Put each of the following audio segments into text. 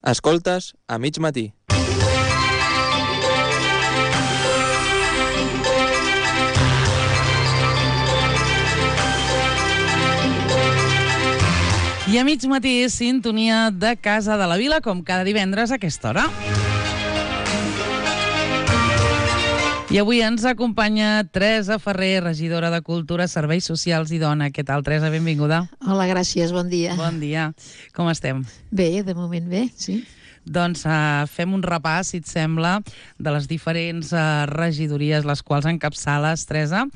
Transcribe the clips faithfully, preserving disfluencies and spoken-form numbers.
Escoltes a mig matí. I a mig matí, sintonia de Casa de la Vila, com cada divendres a aquesta hora. I avui ens acompanya Teresa Ferrer, regidora de Cultura, Serveis Socials i Dona. Què tal, Teresa? Benvinguda. Hola, gràcies, bon dia. Bon dia. Com estem? Bé, de moment bé, sí. Doncs uh, fem un repàs, si et sembla, de les diferents uh, regidories les quals encapçales, Teresa.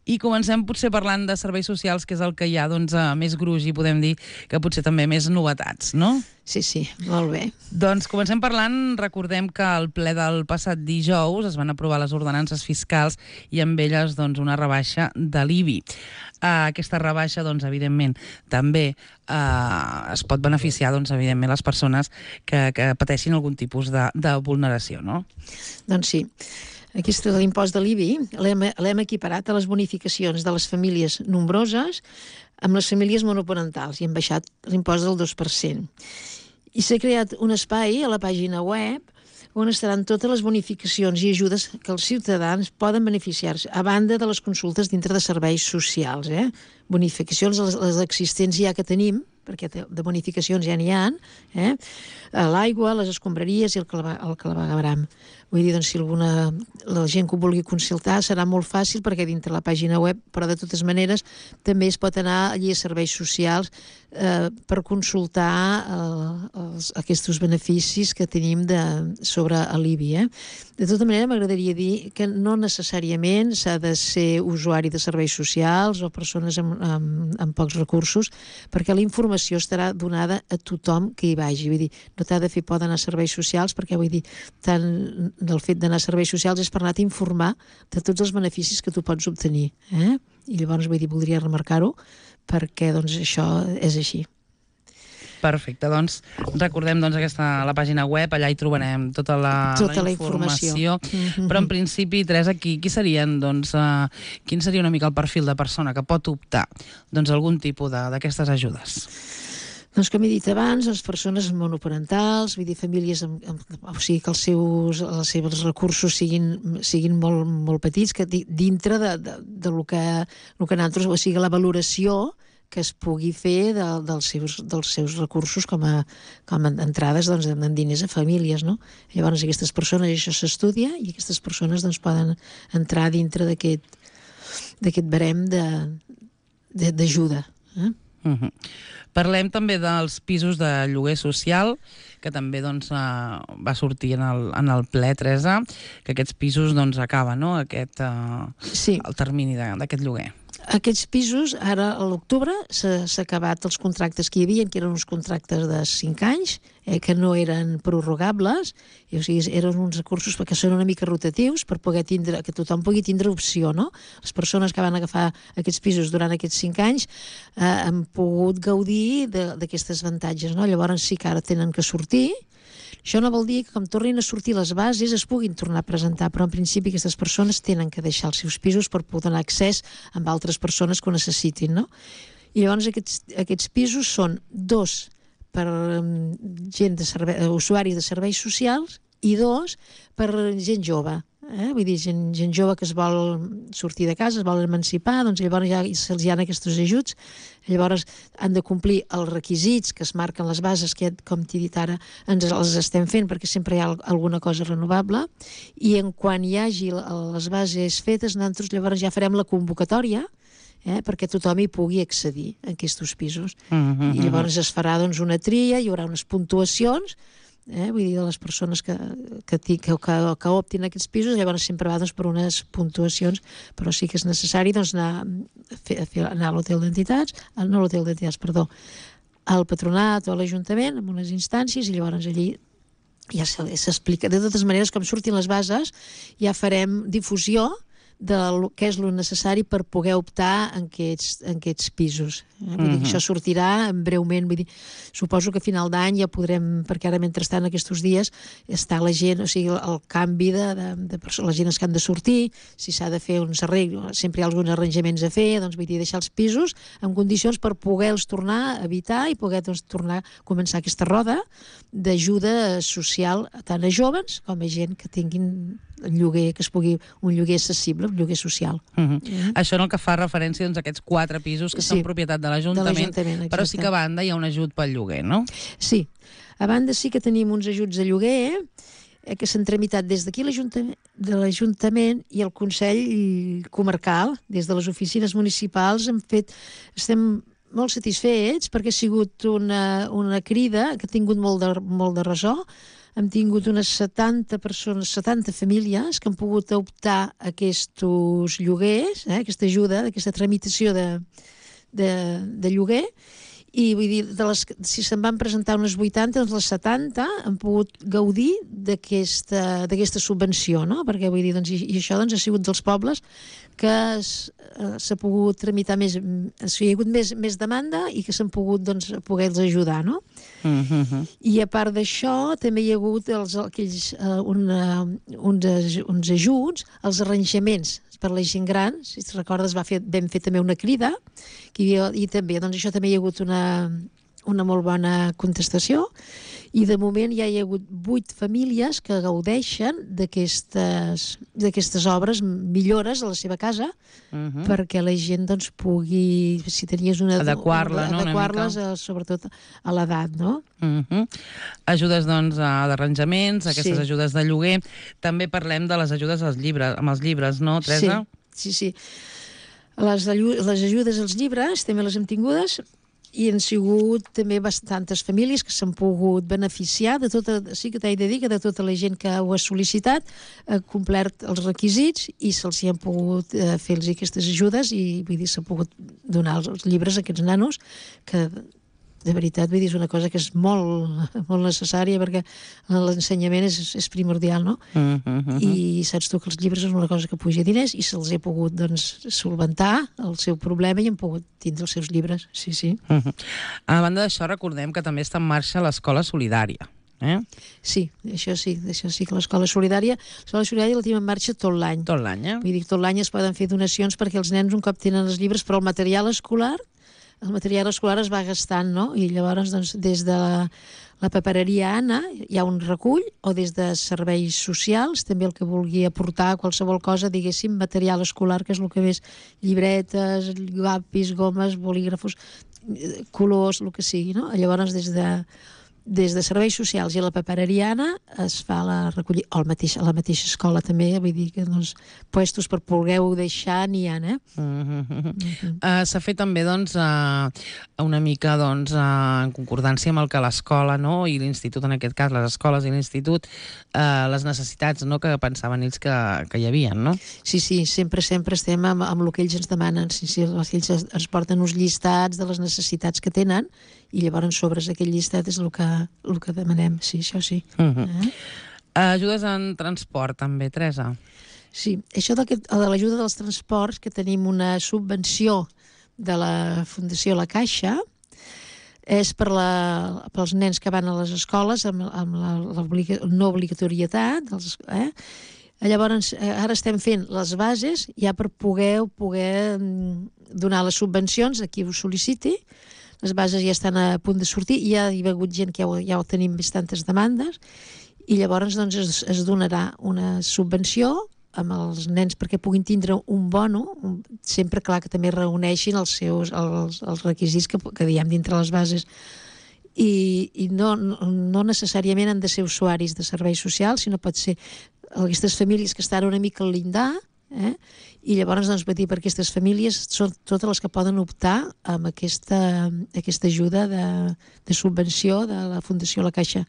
I comencem potser parlant de serveis socials, que és el que hi ha doncs, uh, més gruix i podem dir que potser també més novetats, no? Sí, sí, molt bé. Doncs comencem parlant, recordem que al ple del passat dijous es van aprovar les ordenances fiscals i amb elles doncs, una rebaixa de l'I B I. Uh, aquesta rebaixa, doncs, evidentment, també uh, es pot beneficiar, doncs, evidentment, les persones que, que pateixin algun tipus de, de vulneració, no? Doncs sí. Aquest, l'impost de l'I B I l'hem equiparat a les bonificacions de les famílies nombroses amb les famílies monoparentals i hem baixat l'impost del dos per cent. I s'ha creat un espai a la pàgina web on estaran totes les bonificacions i ajudes que els ciutadans poden beneficiar-se, a banda de les consultes dintre de serveis socials. Eh? Bonificacions, les, les existents ja que tenim, perquè de bonificacions ja n'hi ha, eh? L'aigua, les escombraries i el, clava, el clavegueram. Vull dir, doncs, si alguna, la gent que ho vulgui consultar serà molt fàcil perquè dintre la pàgina web, però de totes maneres també es pot anar allí a serveis socials eh, per consultar eh, els, aquests beneficis que tenim de, sobre l'I B I. Eh? De tota manera, m'agradaria dir que no necessàriament s'ha de ser usuari de serveis socials o persones amb, amb, amb pocs recursos, perquè la informació estarà donada a tothom que hi vagi. Vull dir, no t'ha de fer por d'anar a serveis socials, perquè vull dir, tant del fet d'anar a serveis socials és per anar a informar de tots els beneficis que tu pots obtenir. Eh? I llavors, vull dir, voldria remarcar-ho, perquè doncs, això és així. Perfecte, doncs recordem doncs, aquesta, la pàgina web, allà hi trobarem tota la, tota la, la informació, informació. Mm-hmm. Però en principi, Teresa, qui, qui serien, doncs, uh, quin seria una mica el perfil de persona que pot optar doncs, a algun tipus d'aquestes ajudes? Doncs com he dit abans, les persones monoparentals, vull dir, famílies amb, amb, o sigui, que els seus, els seus recursos siguin, siguin molt, molt petits, que dintre de, de, de lo que, lo que nosaltres, o sigui, la valoració que es pugui fer de, dels, seus, dels seus recursos com a, com a entrades doncs, en diners a famílies, no? Llavors aquestes persones, això s'estudia i aquestes persones doncs, poden entrar dintre d'aquest d'aquest barem d'ajuda. Eh? Uh-huh. Parlem també dels pisos de lloguer social, que també doncs, uh, va sortir en el, en el ple, Teresa, que aquests pisos doncs, acaben, no? Aquest, uh, sí. El termini d'aquest lloguer. Aquests pisos, ara a l'octubre, s'ha acabat els contractes que hi havia, que eren uns contractes de cinc anys, eh, que no eren prorrogables, i, o sigui, eren uns recursos perquè són una mica rotatius, per poder tindre, que tothom pugui tindre opció, no? Les persones que van agafar aquests pisos durant aquests cinc anys eh, han pogut gaudir d'aquestes avantatges, no? Llavors sí que ara tenen que sortir. Això no vol dir que com tornin a sortir les bases es puguin tornar a presentar, però en principi aquestes persones tenen que deixar els seus pisos per poder donar accés amb altres persones que ho necessitin, no? I llavors aquests, aquests pisos són dos per um, gent de servei, usuaris de serveis socials i dos per gent jove. Eh? Vull dir, gent, gent jove que es vol sortir de casa, es vol emancipar, doncs llavors ja se'ls hi ha aquests ajuts, llavors han de complir els requisits que es marquen les bases, que com t'he dit ara ens els estem fent perquè sempre hi ha alguna cosa renovable, i en quan hi hagi les bases fetes nosaltres llavors ja farem la convocatòria eh, perquè tothom hi pugui accedir a aquests pisos. Mm-hmm. I llavors es farà doncs, una tria, hi haurà unes puntuacions, Eh, vull dir, de les persones que, que, que, que, que optin aquests pisos, llavors sempre va doncs, per unes puntuacions, però sí que és necessari doncs, anar, a fer, a fer, anar a l'hotel d'entitats, no a l'hotel d'entitats, perdó, al patronat o a l'Ajuntament, amb unes instàncies, i llavors allí ja s'explica. De totes maneres, com surtin les bases, ja farem difusió de lo, què és lo necessari per poder optar en aquests, en aquests pisos. Eh? Vull dir que això sortirà breument, vull dir, suposo que a final d'any ja podrem, perquè ara mentrestant aquests dies està la gent, o sigui, el canvi de, de, de persones, les gent que han de sortir, si s'ha de fer uns arreglos, sempre hi ha alguns arranjaments a fer, doncs vull dir, deixar els pisos en condicions per poder-los tornar a habitar i poder doncs, tornar a començar aquesta roda d'ajuda social tant a joves com a gent que tinguin lloguer, que es pugui, un lloguer accessible, un lloguer social. Uh -huh. mm. Això en el que fa referència doncs, a aquests quatre pisos que sí, són propietat de l'Ajuntament, però sí que a banda hi ha un ajut pel lloguer, no? Sí, a banda sí que tenim uns ajuts de lloguer eh, que s'han tramitat des d'aquí de l'Ajuntament i el Consell Comarcal, des de les oficines municipals, hem fet, estem molt satisfets perquè ha sigut una, una crida que ha tingut molt de, molt de ressò. Hem tingut unes setanta persones, setanta famílies que han pogut optar a aquests lloguers, eh, aquesta ajuda, aquesta tramitació de, de, de lloguer, i vull dir, de les, si se'n van presentar unes vuitanta, doncs les setanta han pogut gaudir d'aquesta subvenció, no? Perquè vull dir, doncs, i, i això doncs, ha sigut dels pobles que s'ha pogut tramitar més, o sigui, hi ha hagut més, més demanda i que s'han pogut doncs, poder-los ajudar, no? Uh-huh. I a part d'això també hi ha hagut els, aquells, uh, una, uns, uns ajuts als arranjaments per la gent gran, si et recordes va fer, vam fer també una crida que havia, i també, doncs això també hi ha hagut una, una molt bona contestació i de moment ja hi ha hagut vuit famílies que gaudeixen d'aquestes d'aquestes obres, millores a la seva casa, uh-huh. perquè la gent doncs pugui, si tenies una... Adequar-la, no? Adequar-les a, sobretot a l'edat, no? Uh-huh. Ajudes doncs d'arranjaments, aquestes sí. ajudes de lloguer. També parlem de les ajudes als llibres, amb els llibres, no, Teresa? Sí, sí, sí. Les, les ajudes als llibres també les hem tingudes i han sigut també bastantes famílies que s'han pogut beneficiar de tota, sí que t'he de dir que de tota la gent que ho ha sol·licitat ha complert els requisits i se'ls hi han pogut eh, fer-los aquestes ajudes i vull dir, s'ha pogut donar els, els llibres a aquests nanos que de veritat, vull dir, és una cosa que és molt, molt necessària perquè l'ensenyament és, és primordial, no? Uh -huh. I saps tu que els llibres és una cosa que puja diners i se'ls ha pogut, doncs, solventar el seu problema i han pogut tindre els seus llibres, sí, sí. Uh -huh. A banda d'això, recordem que també està en marxa l'Escola Solidària. Eh? Sí, això sí, això sí que l'Escola Solidària, l'Escola Solidària la tenim en marxa tot l'any. Tot l'any, eh? Vull dir, tot l'any es poden fer donacions perquè els nens un cop tenen els llibres, però el material escolar el material escolar es va gastant, no? I llavors, doncs, des de la, la papereria Anna hi ha un recull, o des de serveis socials, també el que vulgui aportar qualsevol cosa, diguéssim, material escolar, que és el que més, llibretes, llapis, gomes, bolígrafos, colors, el que sigui, no? Llavors, des de des de serveis socials i a la papereria Anna es fa la recollida, o mateix, a la mateixa escola també, vull dir que doncs, puestos per poder-ho deixar n'hi ha, eh? Uh -huh. uh -huh. uh, S'ha fet també, doncs, uh, una mica, doncs, uh, en concordància amb el que l'escola, no?, i l'institut, en aquest cas, les escoles i l'institut, uh, les necessitats, no?, que pensaven ells que, que hi havia, no? Sí, sí, sempre, sempre estem amb, amb el que ells ens demanen, sí, sí, ells ens porten uns llistats de les necessitats que tenen i llavors sobre aquell llistat és el que, el que demanem, sí, això sí. Uh -huh. eh? Ajudes en transport, també, Teresa? Sí, això de, de l'ajuda dels transports, que tenim una subvenció de la Fundació La Caixa, és per la, pels nens que van a les escoles amb, amb la, la no obligatorietat, els, eh? Llavors, ara estem fent les bases ja per poder, poder donar les subvencions a qui ho sol·liciti. Les bases ja estan a punt de sortir i ja hi ha hagut gent que ja ho, ja ho tenim bastantes demandes i llavors doncs, es, es donarà una subvenció amb els nens perquè puguin tindre un bono, un, sempre clar que també reuneixin els seus els, els requisits que, que diem dintre les bases i, i no, no, no necessàriament han de ser usuaris de serveis socials, sinó pot ser aquestes famílies que estan una mica al llindar, eh? I llavors, doncs, vull dir, per aquestes famílies són totes les que poden optar amb aquesta, aquesta ajuda de, de subvenció de la Fundació La Caixa.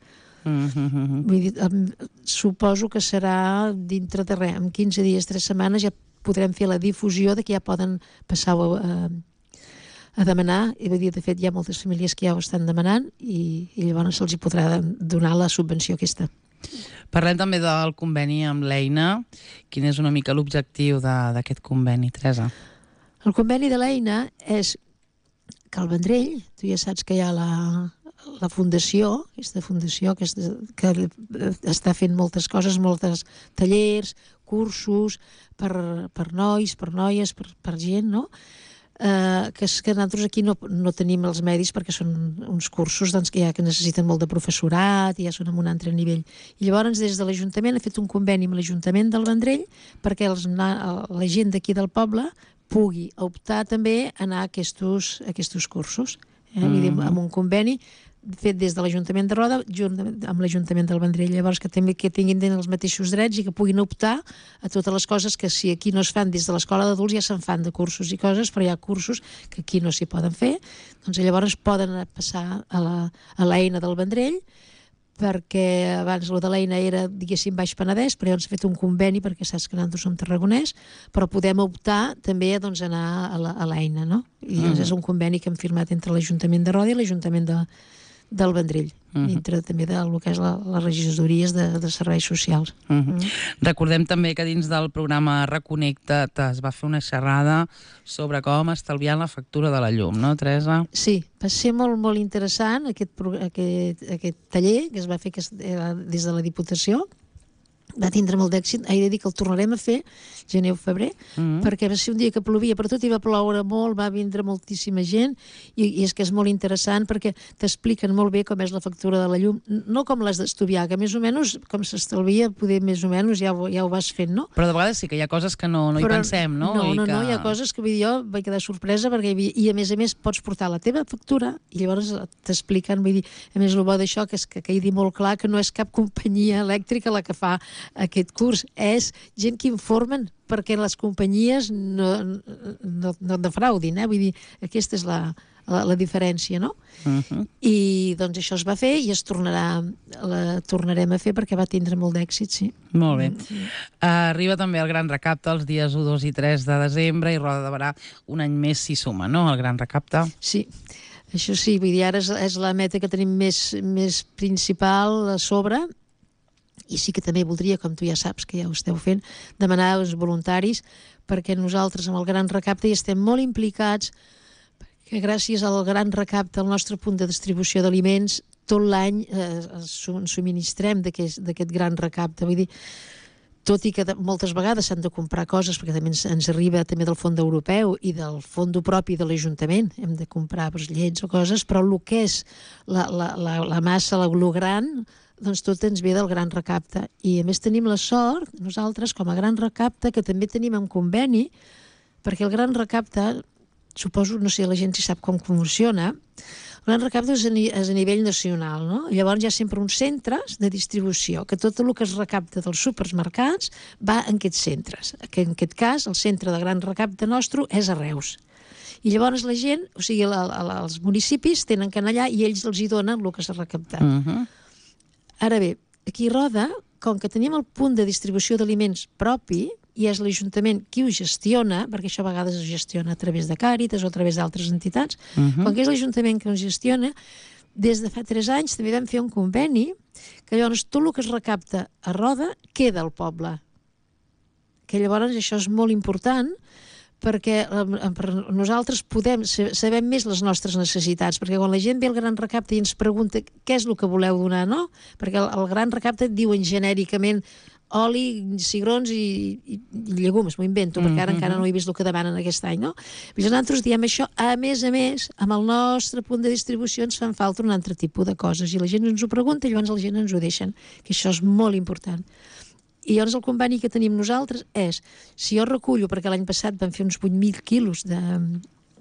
Mm-hmm. Vull dir, suposo que serà dintre de res, en quinze dies, tres setmanes ja podrem fer la difusió de que ja poden passar a, a demanar, i vull dir, de fet hi ha moltes famílies que ja ho estan demanant i, i llavors se'ls hi podrà donar la subvenció aquesta. Parlem també del conveni amb l'Eina. Quin és una mica l'objectiu d'aquest conveni, Teresa? El conveni de l'Eina és que al Vendrell, tu ja saps que hi ha la, la fundació, aquesta fundació que, és, que està fent moltes coses, moltes tallers, cursos per, per nois, per noies, per, per gent, no? Eh, que, és que nosaltres aquí no, no tenim els medis perquè són uns cursos doncs, que, ja, que necessiten molt de professorat i ja són en un altre nivell. I llavors des de l'Ajuntament ha fet un conveni amb l'Ajuntament del Vendrell perquè els, la gent d'aquí del poble pugui optar també a anar a aquests, a aquests cursos. Eh? Mm-hmm. Vull dir, amb un conveni fet des de l'Ajuntament de Roda junt amb l'Ajuntament del Vendrell, llavors que també que tinguin els mateixos drets i que puguin optar a totes les coses que si aquí no es fan des de l'escola d'adults ja se'n fan de cursos i coses, però hi ha cursos que aquí no s'hi poden fer, doncs llavors poden passar a l'Eina del Vendrell, perquè abans el de l'Eina era, diguéssim, Baix Penedès, però llavors s'ha fet un conveni perquè saps que nosaltres som tarragonès, però podem optar també doncs, a anar a l'Eina, no? I llavors mm. és un conveni que hem firmat entre l'Ajuntament de Roda i l'Ajuntament de del Vendrell, uh-huh. dintre també del que és la, les regidories de, de serveis socials. Uh-huh. Uh-huh. Recordem també que dins del programa Reconnecta't es va fer una xerrada sobre com estalviar la factura de la llum, no, Teresa? Sí, va ser molt, molt interessant aquest, aquest, aquest taller que es va fer que era des de la Diputació. Va tindre molt d'èxit, he de dir que el tornarem a fer gener o febrer, mm-hmm. perquè va ser un dia que plovia per tot i va ploure molt, va vindre moltíssima gent i, i és que és molt interessant perquè t'expliquen molt bé com és la factura de la llum, no com les d'Estuvià, que més o menys com s'estalvia, poder més o menys ja ho, ja ho vas fent, no? Però de vegades sí que hi ha coses que no, no hi Però, pensem, no? No, I no, que... no, hi ha coses que vull dir, jo vaig quedar sorpresa perquè hi havia, i a més a més pots portar la teva factura i llavors t'expliquen, vull dir, a més el bo d'això que és que quedi molt clar que no és cap companyia elèctrica la que fa aquest curs, és gent que informen perquè les companyies no, no, no defraudin, eh? Vull dir, aquesta és la, la, la diferència, no? Uh-huh. I doncs això es va fer i es tornarà, la tornarem a fer perquè va tindre molt d'èxit, sí. Molt bé. Uh, arriba també el Gran Recapte els dies u, dos i tres de desembre i Roda de Berà un any més s'hi suma, no?, el Gran Recapte. Sí. Això sí, vull dir, ara és, és la meta que tenim més, més principal a sobre. I sí que també voldria, com tu ja saps que ja ho esteu fent, demanar als voluntaris perquè nosaltres amb el Gran Recapte hi estem molt implicats perquè gràcies al Gran Recapte, al nostre punt de distribució d'aliments, tot l'any eh, subministrem d'aquest Gran Recapte. Vull dir, tot i que moltes vegades s'han de comprar coses perquè també ens, ens arriba també del fons europeu i del fons propi de l'Ajuntament, hem de comprar doncs, llets o coses, però el que és la, la, la, la massa, la glu gran, doncs tot ens ve del Gran Recapte. I a més tenim la sort, nosaltres com a Gran Recapte, que també tenim un conveni, perquè el Gran Recapte, suposo, no sé, la gent si sap com funciona, el Gran Recapte és a, és a nivell nacional, no? Llavors hi ha sempre uns centres de distribució, que tot el que es recapta dels supermercats va en aquests centres. Que en aquest cas, el centre de Gran Recapte nostre és a Reus. I llavors la gent, o sigui, la, la, els municipis tenen que anar allà i ells els hi donen el que s'ha recaptat. Uh-huh. Ara bé, aquí a Roda, com que tenim el punt de distribució d'aliments propi, i és l'Ajuntament qui ho gestiona, perquè això a vegades es gestiona a través de Càritas o a través d'altres entitats, uh-huh. com que és l'Ajuntament que ho gestiona, des de fa tres anys també vam fer un conveni que llavors tot el que es recapta a Roda queda al poble. Que llavors això és molt important perquè nosaltres podem, sabem més les nostres necessitats, perquè quan la gent ve al Gran Recapte i ens pregunta què és el que voleu donar, no? Perquè el Gran Recapte et diuen genèricament oli, cigrons i, i, i llegums, m'ho invento, perquè ara mm-hmm. encara no he vist el que demanen aquest any, no? Nosaltres diem això, a més a més, amb el nostre punt de distribució ens fan falta un altre tipus de coses, i la gent ens ho pregunta i llavors la gent ens ho deixen, que això és molt important. I llavors el conveni que tenim nosaltres és, si jo recullo, perquè l'any passat vam fer uns vuit mil quilos de...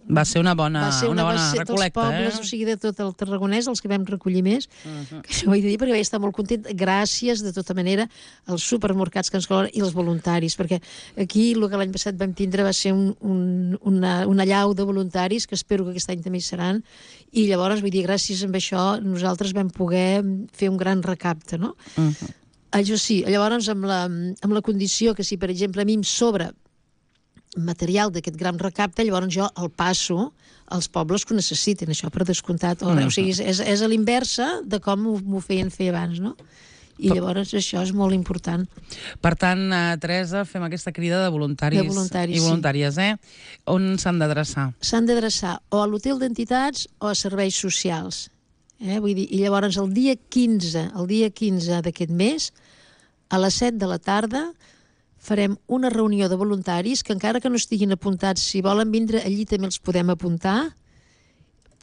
Va ser una bona, va ser una, una bona va ser recol·lecta, pobles, eh? O sigui, de tot el Tarragonès, els que vam recollir més, uh-huh. que això ho he de dir perquè vaig estar molt content, gràcies, de tota manera, als supermercats que ens col·laboren i els voluntaris, perquè aquí el que l'any passat vam tindre va ser un, un, una, una llau de voluntaris, que espero que aquest any també hi seran, i llavors, vull dir, gràcies a això, nosaltres vam poder fer un gran recapte, no? Uh-huh. Això sí, llavors amb la, amb la condició que si, per exemple, a mi em sobra material d'aquest gran recapte, llavors jo el passo als pobles que ho necessiten, això per descomptat. O, mm. o sigui, és, és a l'inversa de com m'ho feien fer abans, no? I llavors això és molt important. Per tant, eh, Teresa, fem aquesta crida de voluntaris, De voluntaris, i voluntàries, eh? On s'han d'adreçar? S'han d'adreçar o a l'hotel d'entitats o a serveis socials. Eh? Vull dir, i llavors el dia quinze, el dia quinze d'aquest mes, a les set de la tarda, farem una reunió de voluntaris que encara que no estiguin apuntats, si volen vindre allí també els podem apuntar,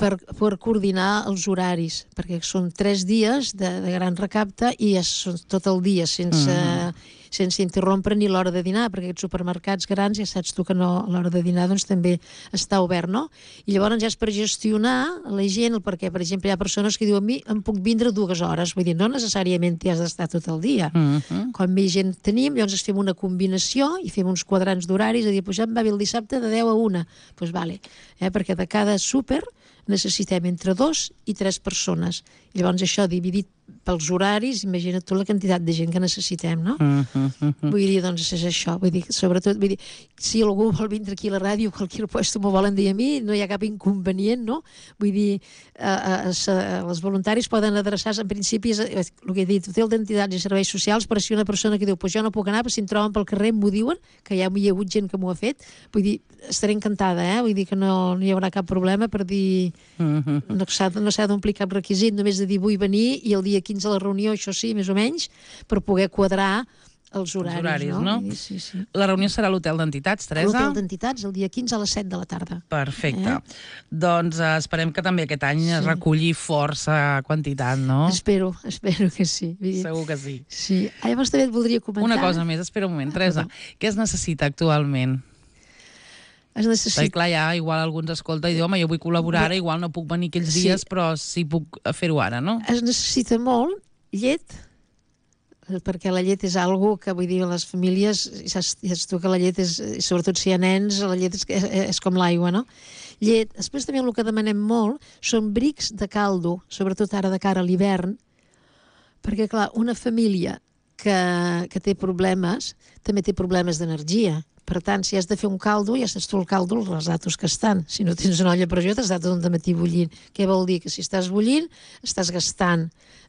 per, per coordinar els horaris, perquè són tres dies de, de gran recapte i és tot el dia, sense, mm. sense interrompre ni l'hora de dinar, perquè aquests supermercats grans, ja saps tu que no, a l'hora de dinar doncs, també està obert, no? I llavors ja és per gestionar la gent, perquè, per exemple, hi ha persones que diuen a mi em puc vindre dues hores, vull dir, no necessàriament t'hi has d'estar tot el dia. Mm -hmm. Com més gent tenim, llavors fem una combinació i fem uns quadrants d'horaris, a dir, pues ja em va bé el dissabte de deu a una, doncs pues vale, eh? Perquè de cada súper necessitem entre dos i tres persones. I llavors això dividit pels horaris, imagina't tu la quantitat de gent que necessitem, no? Uh, uh, uh, uh. Vull dir, doncs és això, vull dir, sobretot, vull dir, si algú vol vindre aquí a la ràdio, a qualsevol puesto m'ho volen dir a mi, no hi ha cap inconvenient, no? Vull dir, eh, eh, eh, els voluntaris poden adreçar-se, en principi, és, eh, el que he dit, hotel d'entitats i serveis socials, per si una persona que diu, pues jo no puc anar, però si em troben pel carrer m'ho diuen, que ja hi ha hagut gent que m'ho ha fet, vull dir, estaré encantada, eh? Vull dir que no, no hi haurà cap problema per dir, uh, uh, uh. no s'ha no s'ha d'omplir cap requisit, només de dir vull venir i el dia quinze a la reunió, això sí, més o menys, per poder quadrar els horaris, els horaris no? no? Dir, sí, sí. La reunió serà a l'hotel d'entitats, Teresa? A l'hotel d'entitats, el dia quinze a les set de la tarda. Perfecte. Eh? Doncs eh, esperem que també aquest any sí. es reculli força quantitat, no? Espero, espero que sí. Dir, segur que sí. Sí. Llavors també et voldria comentar... Una cosa més, espera un moment, Teresa. Ah, què es necessita actualment? Es necessita... Perquè clar, ja igual algú ens escolta i diu, home, jo vull col·laborar ara, igual no puc venir aquells sí. dies, però sí puc fer-ho ara, no? Es necessita molt llet, perquè la llet és algo que, vull dir, les famílies, saps, saps tu que la llet és, sobretot si hi ha nens, la llet és, és, és com l'aigua, no? Llet. Després també el que demanem molt són brics de caldo, sobretot ara de cara a l'hivern, perquè, clar, una família que, que té problemes, també té problemes d'energia. Per tant, si has de fer un caldo, ja saps tu el caldo, els ratos que estan. Si no tens una olla a pressió, t'has d'estar tot el matí bullint. Què vol dir? Que si estàs bullint, estàs gastant.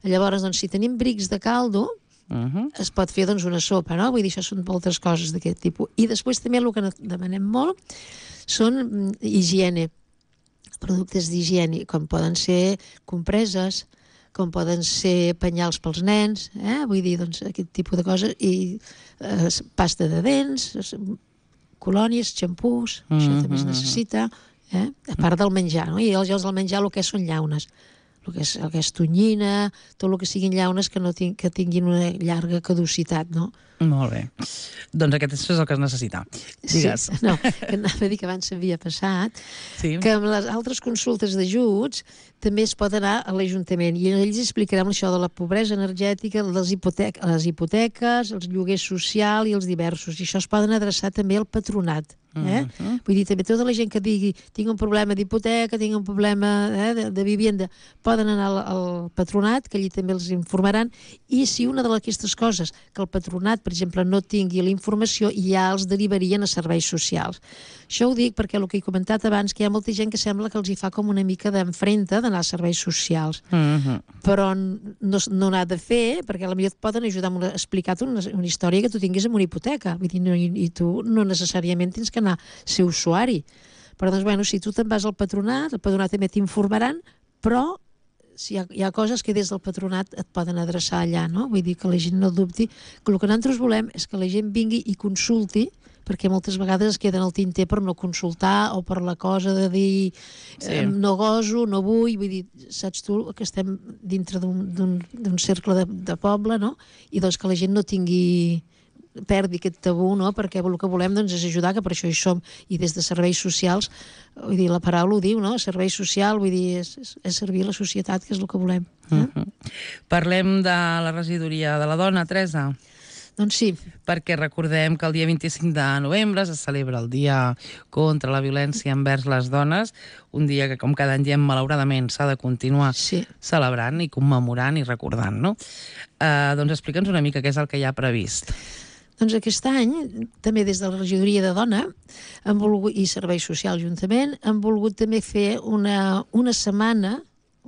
Llavors, doncs, si tenim brics de caldo, uh-huh. es pot fer doncs, una sopa, no? Vull dir, això són moltes coses d'aquest tipus. I després també el que demanem molt són higiene, productes d'higiene, com poden ser compreses, com poden ser penyals pels nens, eh? Vull dir, doncs, aquest tipus de coses, i eh, pasta de dents, colònies, xampús, mm-hmm. això també es necessita, eh? A part del menjar, no? I els jocs del menjar el que són llaunes, el que és, el que és tonyina, tot el que siguin llaunes que, no ting, que tinguin una llarga caducitat, no? Molt bé. Doncs aquest és el que es necessita. Digues. Sí, no, que anava a dir que abans s'havia passat, sí. que amb les altres consultes d'ajuts també es pot anar a l'Ajuntament i ells explicarem això de la pobresa energètica, les, hipotec les hipoteques, els lloguers social i els diversos. I això es poden adreçar també al patronat. Eh? Uh-huh. Vull dir, també tota la gent que digui tinc un problema d'hipoteca, tinc un problema eh, de, de vivienda, poden anar al, al patronat, que allí també els informaran, i si una d'aquestes coses que el patronat, per exemple, no tingui la informació, ja els derivarien a serveis socials. Això ho dic perquè el que he comentat abans, que hi ha molta gent que sembla que els hi fa com una mica d'enfrenta d'anar a serveis socials, uh-huh. però no, no n'ha de fer, perquè potser et poden ajudar a explicar-te una, una història que tu tinguis amb una hipoteca, vull dir, no, i, i tu no necessàriament tens que anar a ser usuari. Però doncs, bueno, si tu te'n vas al patronat, el patronat també t'informaran, però si hi ha, hi ha coses que des del patronat et poden adreçar allà, no? Vull dir que la gent no dubti, que el que nosaltres volem és que la gent vingui i consulti, perquè moltes vegades es queden al tinter per no consultar o per la cosa de dir sí. eh, no goso, no vull, vull dir, saps tu que estem dintre d'un cercle de, de poble, no? I doncs que la gent no tingui perdi aquest tabú, no? Perquè el que volem doncs, és ajudar, que per això hi som, i des de serveis socials, vull dir, la paraula ho diu, no? Servei social, vull dir, és, és servir la societat, que és el que volem. Eh? Uh-huh. Parlem de la regidoria de la dona, Teresa. Doncs sí. Perquè recordem que el dia vint-i-cinc de novembre se celebra el Dia contra la Violència envers les Dones, un dia que, com cada any diem, malauradament s'ha de continuar sí. celebrant i commemorant i recordant, no? Uh, doncs explica'ns una mica què és el que hi ha previst. Doncs aquest any, també des de la regidoria de dona han volgut, i serveis socials juntament, han volgut també fer una, una setmana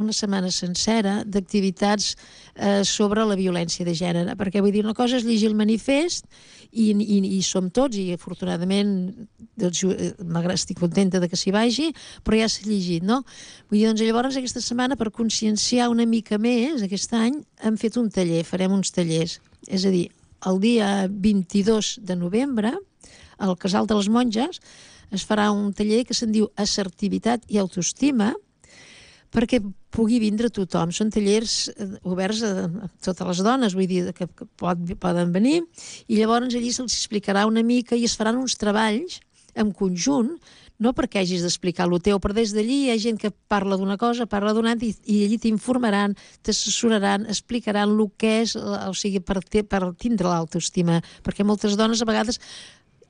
una setmana sencera d'activitats eh, sobre la violència de gènere, perquè vull dir, una cosa és llegir el manifest i, i, i som tots, i afortunadament doncs, estic contenta de que s'hi vagi, però ja s'ha llegit, no? Vull dir, doncs llavors aquesta setmana, per conscienciar una mica més, aquest any hem fet un taller, farem uns tallers, és a dir, el dia vint-i-dos de novembre al Casal de les Monges es farà un taller que se'n diu Assertivitat i Autoestima, perquè pugui vindre tothom. Són tallers oberts a totes les dones, vull dir, que, que pot, poden venir, i llavors allí se'ls explicarà una mica i es faran uns treballs en conjunt, no perquè hagis d'explicar el teu, però des d'allí hi ha gent que parla d'una cosa, parla d'una altra, i, i allí t'informaran, t'assessoraran, explicaran el que és, o sigui, per, te, per tindre l'autoestima, perquè moltes dones a vegades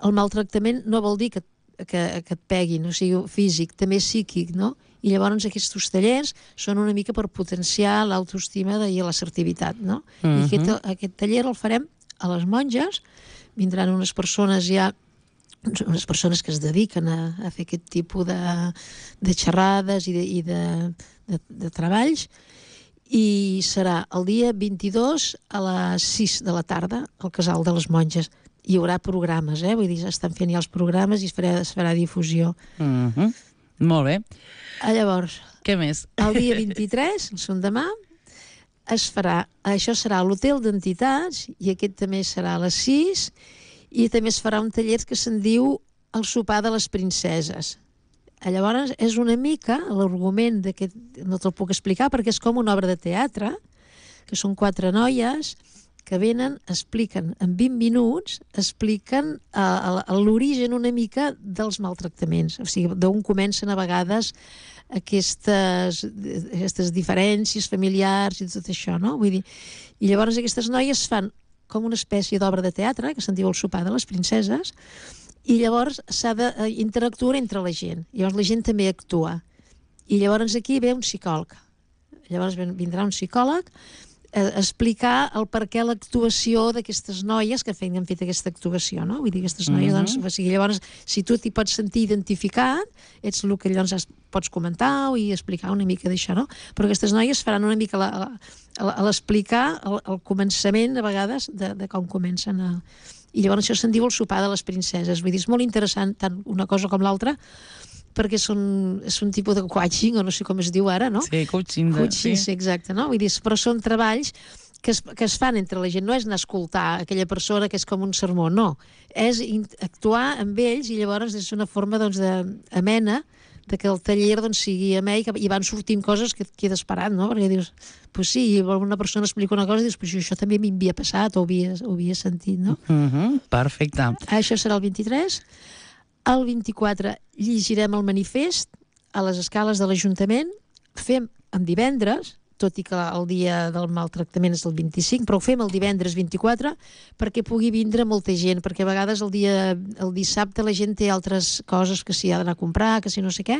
el maltractament no vol dir que Que, que et peguin, o sigui, físic, també psíquic, no? I llavors aquests tallers són una mica per potenciar l'autoestima i l'assertivitat, no? Uh-huh. I aquest, aquest taller el farem a les Monges, vindran unes persones ja, unes persones que es dediquen a, a fer aquest tipus de, de xerrades i, de, i de, de, de treballs, i serà el dia vint-i-dos a les sis de la tarda al Casal de les Monges. Hi haurà programes, eh? Vull dir, estan fent ja els programes i es farà, es farà difusió. Uh-huh. Molt bé. Ah, llavors, què més? El dia vint-i-tres, el son demà, es farà, això serà a l'Hotel d'Entitats, i aquest també serà a les sis, i també es farà un taller que se'n diu El sopar de les princeses. Llavors, és una mica l'argument d'aquest, no te'l puc explicar perquè és com una obra de teatre, que són quatre noies que venen, expliquen en vint minuts, expliquen uh, l'origen una mica dels maltractaments, o sigui, d'on comencen a vegades aquestes, aquestes diferències familiars i tot això, no? Vull dir, i llavors aquestes noies fan com una espècie d'obra de teatre, que se'n diu El sopar de les princeses, i llavors s'ha d'interactuar entre la gent, llavors la gent també actua, i llavors aquí ve un psicòleg, llavors vindrà un psicòleg explicar el per què l'actuació d'aquestes noies que han fet aquesta actuació, no? Vull dir, aquestes noies, uh-huh. doncs, o sigui, llavors, si tu t'hi pots sentir identificat, ets el que llavors pots comentar i explicar una mica d'això, no? Però aquestes noies faran una mica la, la, l'explicar el, el començament, a vegades, de, de com comencen a... I llavors això se'n diu El sopar de les princeses. Vull dir, és molt interessant, tant una cosa com l'altra, perquè són, és un tipus de coaching, o no sé com es diu ara, no? Sí, coaching. De, coaching, sí. sí, exacte, no? Vull dir, però són treballs que es, que es fan entre la gent, no és anar a escoltar aquella persona que és com un sermó, no. És actuar amb ells i llavors és una forma, doncs, de, amena, de que el taller, doncs, sigui amè i, que, i van sortint coses que et quedes parat, no? Perquè dius, pues sí, una persona explica una cosa i dius, pues això també m'havia passat o ho havia, ho havia sentit, no? Uh-huh, perfecte. Això serà el vint-i-tres. El vint-i-quatre llegirem el manifest a les escales de l'Ajuntament. Fem en divendres, tot i que el dia del maltractament és el vint-i-cinc, però ho fem el divendres vint-i-quatre perquè pugui vindre molta gent, perquè a vegades el dia el dissabte la gent té altres coses que s'hi ha d'anar a comprar, que si no sé què,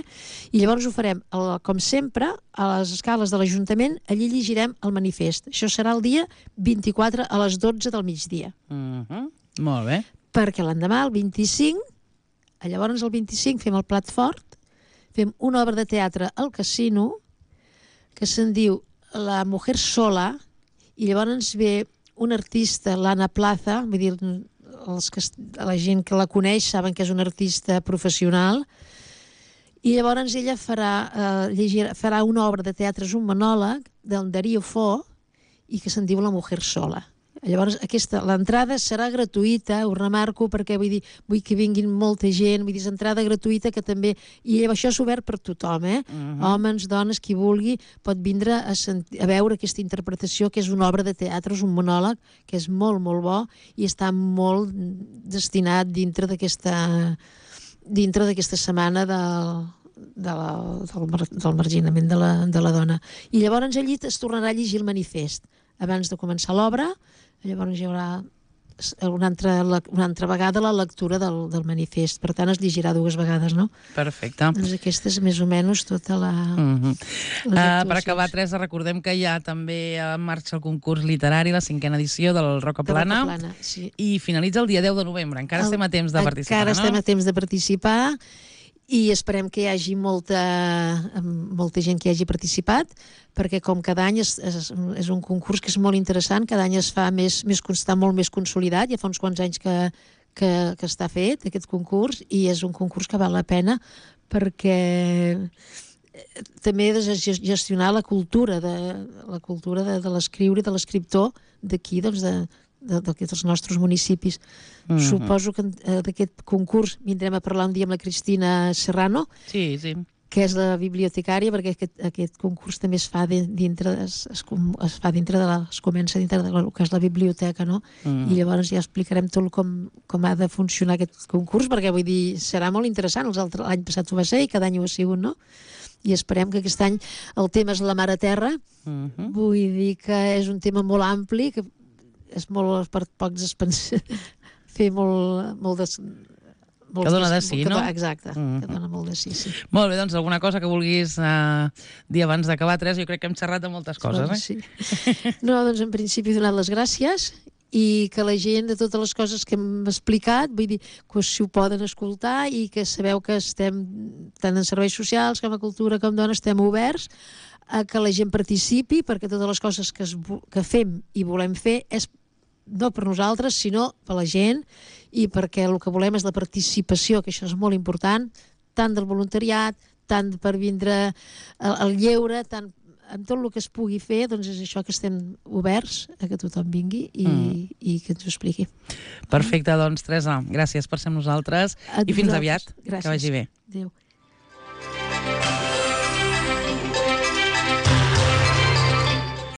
i llavors ho farem, el, com sempre, a les escales de l'Ajuntament, allí llegirem el manifest. Això serà el dia vint-i-quatre a les dotze del migdia. Uh-huh. Molt bé. Perquè l'endemà, el vint-i-cinc, llavors el vint-i-cinc fem el plat fort, fem una obra de teatre al casino que se'n diu La mujer sola, i llavors ve un artista, l'Anna Plaza, vull dir, els que, la gent que la coneix saben que és una artista professional, i llavors ella farà, eh, llegir, farà una obra de teatre, és un monòleg del Darío Fo, i que se'n diu La mujer sola. Llavors, aquesta, l'entrada serà gratuïta, ho remarco, perquè vull dir, vull que vinguin molta gent, vull dir, és entrada gratuïta que també... I això és obert per tothom, eh? Uh-huh. Homes, dones, qui vulgui, pot vindre a, sentir, a veure aquesta interpretació, que és una obra de teatre, és un monòleg, que és molt, molt bo, i està molt destinat dintre d'aquesta dintre d'aquesta setmana del, de la, del, del marginament de la, de la dona. I llavors allí es tornarà a llegir el manifest. Abans de començar l'obra, llavors hi haurà una altra, una altra vegada la lectura del, del manifest. Per tant, es llegirà dues vegades, no? Perfecte. Doncs aquesta és més o menys tota la... Uh-huh. uh, per acabar, Teresa, recordem que hi ha també en marxa el concurs literari, la cinquena edició del Roca Plana, Roca Plana, sí. I finalitza el dia deu de novembre. Encara el, estem a temps de participar, encara no? estem a temps de participar, i esperem que hi hagi molta, molta gent que hi hagi participat, perquè com cada any és, és, és un concurs que és molt interessant, cada any es fa més, més constant, molt més consolidat, ja fa uns quants anys que, que, que està fet aquest concurs, i és un concurs que val la pena perquè també de gestionar la cultura de, la cultura de, de l'escriure i de l'escriptor d'aquí, doncs de d'aquests nostres municipis. Mm-hmm. Suposo que uh, d'aquest concurs vindrem a parlar un dia amb la Cristina Serrano, sí, sí. que és la bibliotecària, perquè aquest, aquest concurs també es fa de, dintre, es, es, es fa dintre de la, es comença dintre de la, que és la biblioteca, no? Mm. I llavors ja explicarem tot com, com ha de funcionar aquest concurs, perquè vull dir, serà molt interessant. L'any passat ho va ser i cada any ho ha sigut, no? I esperem que aquest any el tema és la Mare Terra. Mm-hmm. Vull dir que és un tema molt ampli, que és molt per pocs expansius, fer molt, molt de... Que dona de sí, no? Exacte, mm-hmm. que dona molt de sí, sí. Molt bé, doncs alguna cosa que vulguis uh, dir abans d'acabar, Teresa? Jo crec que hem xerrat de moltes coses, eh? Sí. No, doncs en principi he donat les gràcies i que la gent de totes les coses que hem explicat, vull dir, que si ho poden escoltar i que sabeu que estem tant en serveis socials com a cultura com dona, estem oberts a que la gent participi, perquè totes les coses que, es, que fem i volem fer és no per nosaltres, sinó per la gent, i perquè el que volem és la participació, que això és molt important, tant del voluntariat, tant per vindre al lleure, tant amb tot el que es pugui fer, doncs és això que estem oberts a que tothom vingui i, mm. i que ens ho expliqui. Perfecte, doncs Teresa, gràcies per ser amb nosaltres i fins aviat. Gràcies. Que vagi bé. Adéu.